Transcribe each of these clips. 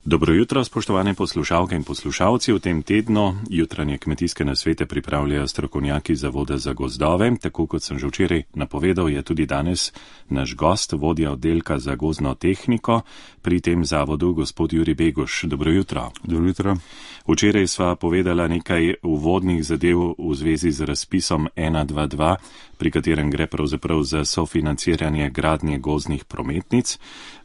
Dobro jutro, spoštovane poslušalke in poslušalci. V tem tednu jutranje kmetijske nasvete pripravljajo strokovnjaki Zavoda za gozdove. Tako kot sem že včeraj napovedal, je tudi danes naš gost, vodja oddelka za gozdno tehniko pri tem zavodu, gospod Jurij Beguš. Dobro jutro. Dobro jutro. Včeraj sva povedala nekaj uvodnih zadev v zvezi z razpisom 122, pri katerem gre pravzaprav za sofinanciranje gradnje gozdnih prometnic.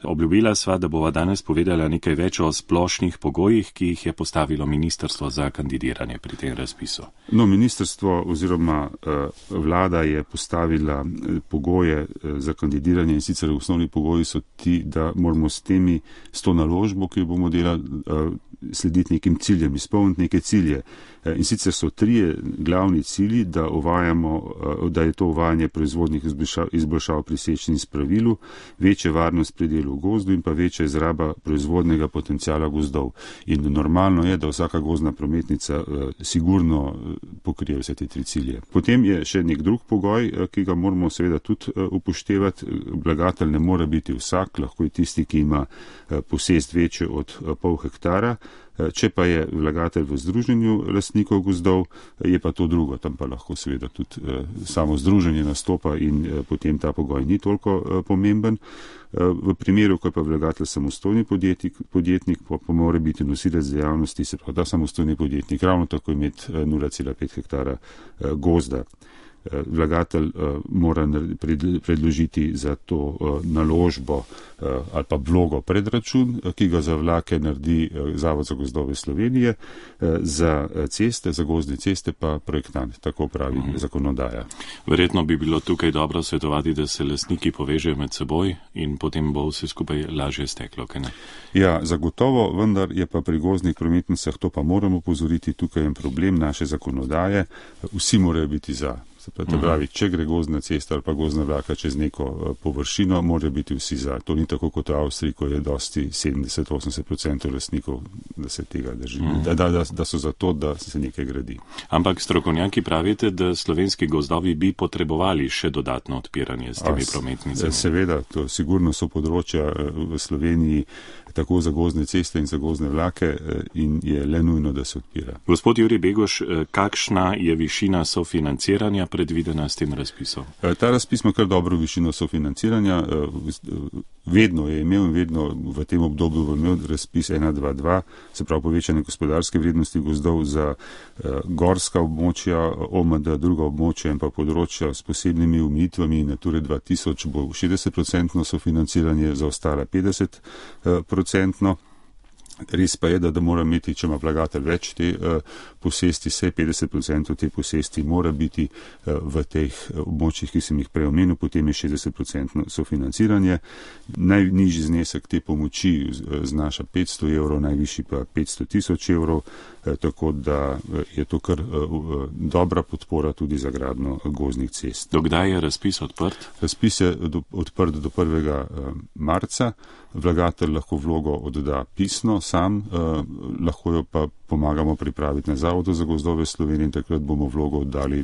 Obljubila sva, da bova danes povedala nekaj več o splošnih pogojih, ki jih je postavilo ministrstvo za kandidiranje pri tem razpisu. No, ministrstvo oziroma vlada je postavila pogoje za kandidiranje in sicer osnovni pogoji so ti, da moramo s to naložbo, ki jo bomo delali, slediti nekim ciljem, izpolniti neke cilje. In sicer so trije glavni cilji, da je to uvajanje proizvodnih izboljšav pri sečnji in spravilu, večja varnost pri delu v gozdu in pa večja izraba proizvodnega potencijala gozdov. In normalno je, da vsaka gozdna prometnica sigurno pokrije vse te tri cilje. Potem je še nek drug pogoj, ki ga moramo seveda tudi upoštevati. Vlagatelj ne more biti vsak, lahko je tisti, ki ima posest večjo od pol hektara. Če pa je vlagatelj v združenju lastnikov gozdov, je pa to drugo, tam pa lahko seveda tudi samo združenje nastopa in potem ta pogoj ni toliko pomemben. V primeru, ko je pa vlagatelj samostojni podjetnik, pa mora biti nosilec dejavnosti, se pravi, da samostojni podjetnik ravno tako imeti 0,5 hektara gozda. Vlagatelj mora predložiti za to naložbo ali pa vlogo predračun, ki ga za vlake naredi Zavod za gozdove Slovenije, za ceste, za gozdne ceste pa projektant, tako pravi zakonodaja. Verjetno bi bilo tukaj dobro svetovati, da se lastniki povežejo med seboj in potem bo vse skupaj lažje steklo, kaj ne? Ja, zagotovo, vendar je pa pri gozdnih prometnicah, to pa moramo opozoriti, tukaj je problem naše zakonodaje, vsi morajo biti za. Se pravi, če gre gozdna cesta ali pa gozdna vlaka čez neko površino, morajo biti vsi za. To ni tako kot v Avstriji, ko je dosti 70-80% lastnikov, da se tega drži, da so za to, da se nekaj gradi. Ampak strokovnjaki pravite, da slovenski gozdovi bi potrebovali še dodatno odpiranje s temi prometnicami. Seveda, to sigurno so področja v Sloveniji tako za gozdne ceste in za gozdne vlake in je le nujno, da se odpira. Gospod Jurij Beguš, kakšna je višina sofinanciranja predvidena s tem razpisom? Ta razpis ima kar dobro višino sofinanciranja. Vedno je imel in vedno v tem obdobju bo imel razpis 122, se pravi povečanje gospodarske vrednosti gozdov za gorska območja, OMD, druga območja in pa področja s posebnimi omejitvami Nature 2000 bo 60% sofinanciranje, za ostala 50%. Res pa je, da mora imeti, če ima vlagatelj več te posesti, vse 50% te posesti mora biti v teh območjih, ki sem jih prej omenil, potem je 60% sofinanciranje. Najnižji znesek te pomoči znaša 500 evrov, najvišji pa 500 tisoč evrov, tako da je to kar dobra podpora tudi za gradnjo gozdnih cest. Dokdaj je razpis odprt? Razpis je odprt do 1. marca. Vlagatelj lahko vlogo odda pisno sam, lahko jo pa pomagamo pripraviti na Zavodu za gozdove Slovenije in takrat bomo vlogo oddali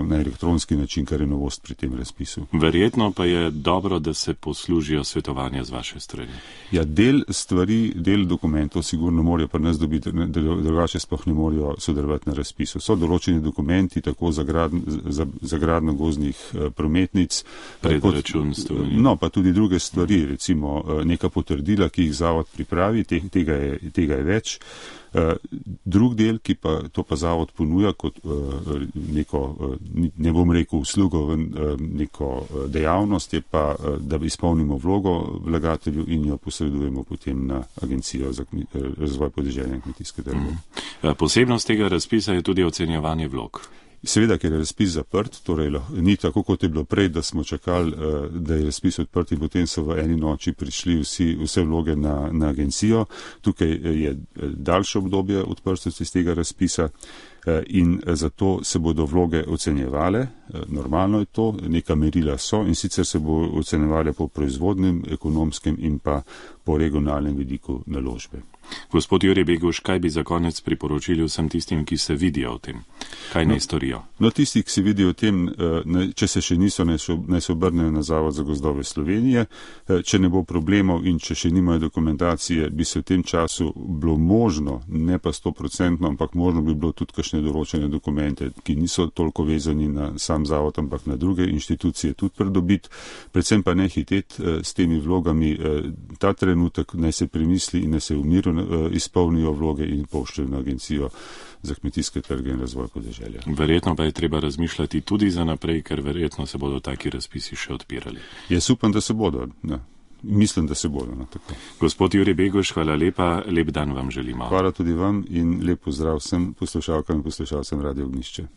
na elektronski način, kar je novost pri tem razpisu. Verjetno pa je dobro, da se poslužijo svetovanja z vaše strani. Ja, del dokumentov sigurno morajo pri nas dobiti, drugače sploh ne morajo sodelovati na razpisu. So določeni dokumenti tako za gradnjo gozdnih prometnic, predračunstvo. Pa tudi druge stvari, recimo neka potrdila, ki jih zavod pripravi, tega je več. Drug del, ki pa to pa zavod ponuja kot neko, ne bom rekel uslugo, neko dejavnost, je pa, da izpolnimo vlogo vlagatelju in jo posredujemo potem na Agencijo za razvoj podeželja in kmetijske trge. Posebnost tega razpisa je tudi ocenjevanje vlog. Seveda, ker je razpis zaprt, torej ni tako, kot je bilo prej, da smo čakali, da je razpis odprt in potem so v eni noči prišli vse vloge na agencijo. Tukaj je daljše obdobje odprtosti iz tega razpisa in zato se bodo vloge ocenjevale Normalno je to, neka merila so in sicer se bo ocenjevali po proizvodnem, ekonomskem in pa po regionalnem vidiku naložbe. Gospod Jurij Beguš, kaj bi za konec priporočili vsem tistim, ki se vidijo v tem? Kaj naj storijo? No, tisti, ki se vidijo v tem, če se še niso, naj se obrnejo na Zavod za gozdove Slovenije. Če ne bo problemov in če še nimajo dokumentacije, bi se v tem času bilo možno, ne pa 100%, ampak možno bi bilo tudi kakšne določene dokumente, ki niso toliko vezani na sam zavod, ampak na druge inštitucije tudi pridobiti. Predvsem pa ne hiteti s temi vlogami. Ta trenutek naj se premisli in naj se v miru izpolnijo vloge in pošljajo na Agencijo za kmetijske trge in razvoj podeželja. Verjetno pa je treba razmišljati tudi za naprej, ker verjetno se bodo taki razpisi še odpirali. Jaz upam, da se bodo. Ne. Mislim, da se bodo. Tako. Gospod Jurij Beguš, hvala lepa, lep dan vam želimo. Hvala tudi vam in lep pozdrav vsem poslušalkam in poslušalcem Radio Ognjišče.